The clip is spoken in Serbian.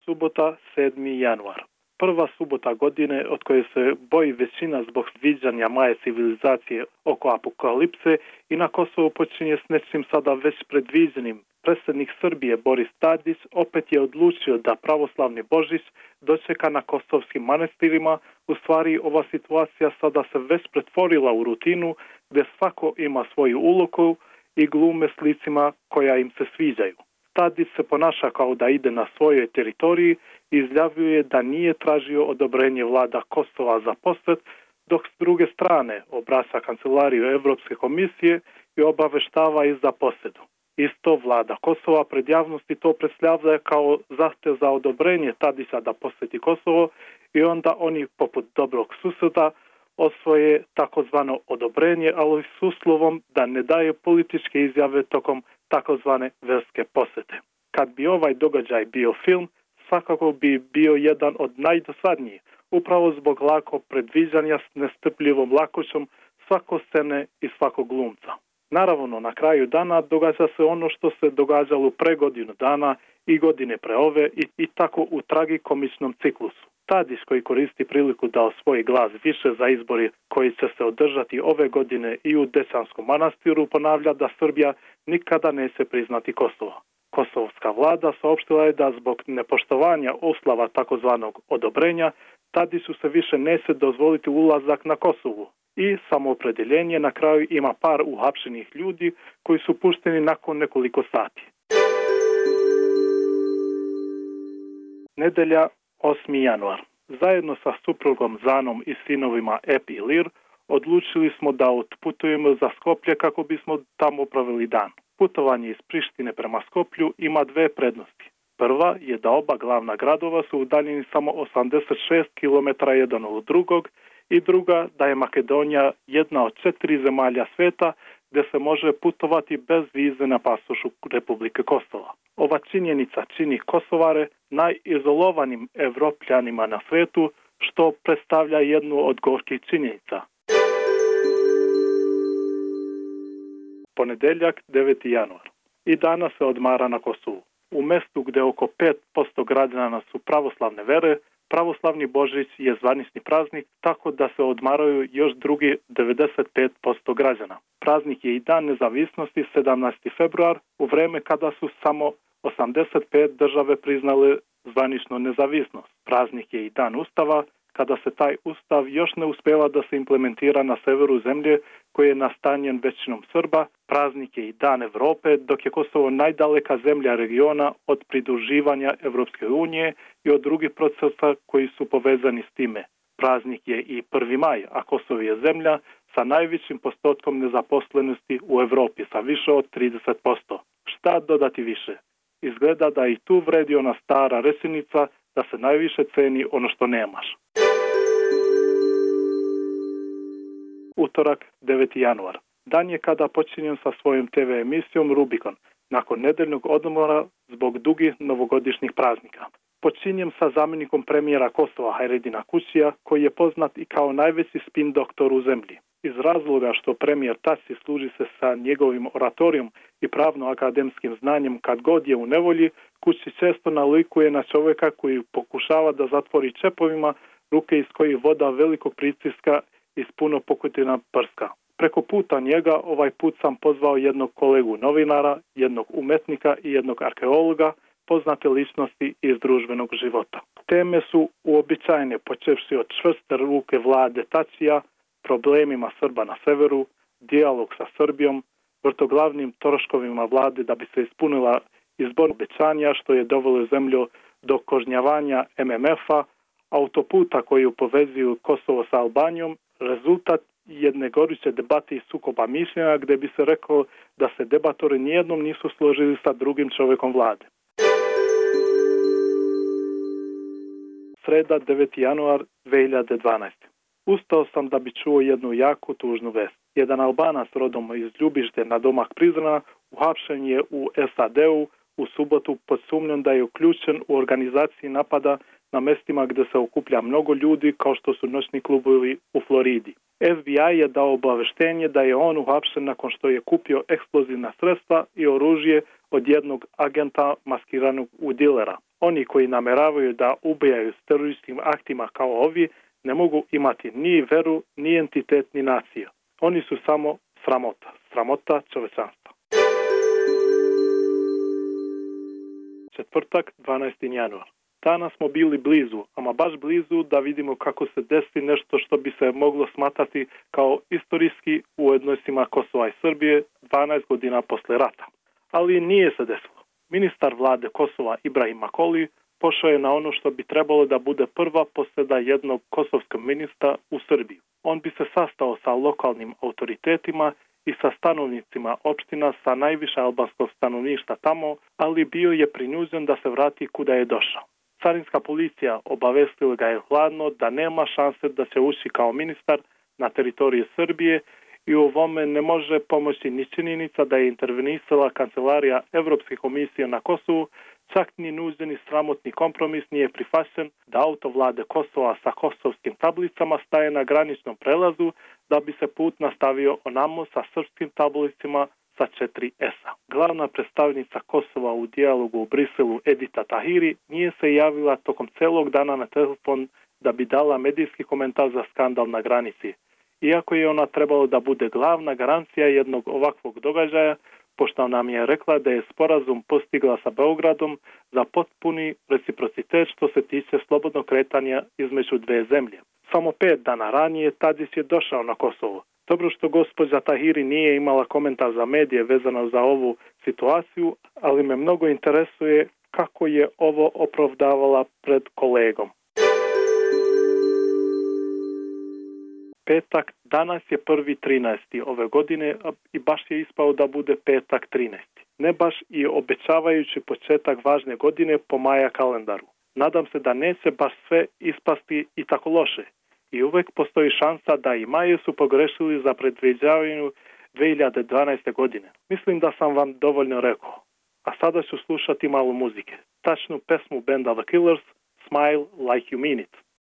Subota, 7. januar. Prva subota godine od koje se boji većina zbog sviđanja maje civilizacije oko apokalipse i na Kosovu počinje s nečim sada već predviđenim. Predsjednik Srbije Boris Tadić opet je odlučio da pravoslavni Božić dočeka na kosovskim manastirima. U stvari ova situacija sada se već pretvorila u rutinu gdje svako ima svoju ulogu i glume s licima koja im se sviđaju. Tadić se ponaša kao da ide na svojoj teritoriji i izjavljuje da nije tražio odobrenje vlada Kosova za posjet, dok s druge strane obraća kancelariju Europske komisije i obaveštava ih za posjedu. Isto vlada Kosova pred javnosti to predstavlja kao zahtjev za odobrenje Tadića da posjeti Kosovo i onda oni poput dobrog susjeda osvoje takozvano odobrenje, ali s uslovom da ne daje političke izjave tokom takozvane verske posjete. Kad bi ovaj događaj bio film, svakako bi bio jedan od najdosadnijih, upravo zbog lako predviđanja s nestrpljivom lakoćom svako scene i svakog glumca. Naravno, na kraju dana događa se ono što se događalo pre godinu dana i godine pre ove i tako u tragikomičnom ciklusu. Tadić, koji koristi priliku da osvoji glas više za izbori koji će se održati ove godine i u Dećanskom manastiru, ponavlja da Srbija nikada neće priznati Kosovo. Kosovska vlada saopštila je da zbog nepoštovanja uslova takozvanog odobrenja Tadiću se više neće dozvoliti ulazak na Kosovu. I samoopredeljenje na kraju ima par uhapšenih ljudi koji su pušteni nakon nekoliko sati. Nedelja, 8. januar. Zajedno sa suprugom Zanom i sinovima Ep i Lir odlučili smo da otputujemo za Skoplje kako bismo tamo proveli dan. Putovanje iz Prištine prema Skoplju ima dve prednosti. Prva je da oba glavna gradova su udaljeni samo 86 km jedan od drugog i druga da je Makedonija jedna od 4 zemalja sveta gdje se može putovati bez vize na pasošu Republike Kosova. Ova činjenica čini Kosovare najizolovanim Evropljanima na svetu, što predstavlja jednu od gorkih činjenica. Ponedeljak, 9. januar. I danas se odmara na Kosovu. U mestu gdje oko 5% građana su pravoslavne vere, pravoslavni Božić je zvanični praznik, tako da se odmaraju još drugi 95% građana. Praznik je i dan nezavisnosti 17. februar, u vreme kada su samo 85 države priznale zvaničnu nezavisnost. Praznik je i dan Ustava, kada se taj Ustav još ne uspeva da se implementira na severu zemlje koji je nastanjen većinom Srba. Praznik je i dan Evrope, dok je Kosovo najdaleka zemlja regiona od pridruživanja Evropske unije i od drugih procesa koji su povezani s time. Praznik je i 1. maj, a Kosovo je zemlja sa najvećim postotkom nezaposlenosti u Evropi, sa više od 30%. Šta dodati više? Izgleda da i tu vredi ona stara rečenica da se najviše ceni ono što nemaš. Utorak, 9. januar. Dan je kada počinjem sa svojom TV emisijom Rubikon, nakon nedeljnog odmora zbog dugih novogodišnjih praznika. Počinjem sa zamjenikom premijera Kosova Hajredina Kućija, koji je poznat i kao najveći spin doktor u zemlji. Iz razloga što premijer Tači služi se sa njegovim oratorijom i pravno-akademskim znanjem kad god je u nevolji, Kući često nalikuje na čovjeka koji pokušava da zatvori čepovima ruke iz kojih voda velikog pritiska iz puno pokutina prska. Preko puta njega ovaj put sam pozvao jednog kolegu novinara, jednog umetnika i jednog arheologa, poznate ličnosti iz društvenog života. Teme su uobičajene, počevši od čvrste ruke vlade Tačija, problemima Srba na severu, dijalog sa Srbijom, vrtoglavnim troškovima vlade da bi se ispunila izborna obećanja što je dovelo zemlju do kažnjavanja MMF-a, autoputa koji povezuju Kosovo sa Albanijom, rezultat jedne goruće debate i sukoba mišljenja gdje bi se rekao da se debatori nijednom nisu složili sa drugim čovjekom vlade. Sreda, 9. januar 2012. Ustao sam da bi čuo jednu jako tužnu vest. Jedan Albanac rodom iz Ljubište na domak Prizrena uhapšen je u SAD-u u subotu pod sumnjom da je uključen u organizaciji napada na mestima gdje se okuplja mnogo ljudi kao što su noćni klubovi u Floridi. FBI je dao obaveštenje da je on uhapšen nakon što je kupio eksplozivna sredstva i oružje od jednog agenta maskiranog u dilera. Oni koji nameravaju da ubijaju s terorističkim aktima kao ovi ne mogu imati ni veru, ni entitet, ni naciju. Oni su samo sramota čovečanstva. Četvrtak, 12. januar. Danas smo bili blizu, ama baš blizu da vidimo kako se desi nešto što bi se moglo smatrati kao istorijski u odnosima Kosova i Srbije 12 godina posle rata. Ali nije se desilo. Ministar vlade Kosova Ibrahim Makoli pošao je na ono što bi trebalo da bude prva posjeda jednog kosovskog ministra u Srbiji. On bi se sastao sa lokalnim autoritetima i sa stanovnicima opština sa najviše albanskog stanovništva tamo, ali bio je prinuđen da se vrati kuda je došao. Carinska policija obavestila ga je hladno da nema šanse da se uši kao ministar na teritoriji Srbije i u ovome ne može pomoći ni činjenica da je intervenisala kancelarija Evropske komisije na Kosovu, čak ni nuđeni sramotni kompromis nije prihvaćen da auto vlade Kosova sa kosovskim tablicama staje na graničnom prelazu da bi se put nastavio onamo sa srpskim tablicama sa 4S-a. Glavna predstavnica Kosova u dijalogu u Briselu Edita Tahiri nije se javila tokom celog dana na telefon da bi dala medijski komentar za skandal na granici. Iako je ona trebalo da bude glavna garancija jednog ovakvog događaja, pošto nam je rekla da je sporazum postigla sa Beogradom za potpuni reciprocitet što se tiče slobodnog kretanja između dve zemlje. Samo 5 dana ranije Tadić je došao na Kosovo. Dobro što gospođa Tahiri nije imala komentar za medije vezano za ovu situaciju, ali me mnogo interesuje kako je ovo opravdavala pred kolegom. Petak, danas je 1.13. ove godine i baš je ispao da bude petak 13. Ne baš i obećavajući početak važne godine po Maja kalendaru. Nadam se da neće baš sve ispasti i tako loše. I uvek postoji šansa da i Maje su pogrešili za predviđavanju 2012. godine. Mislim da sam vam dovoljno rekao. A sada ću slušati malo muzike. Tačnu pesmu benda The Killers, Smile Like You Mean It.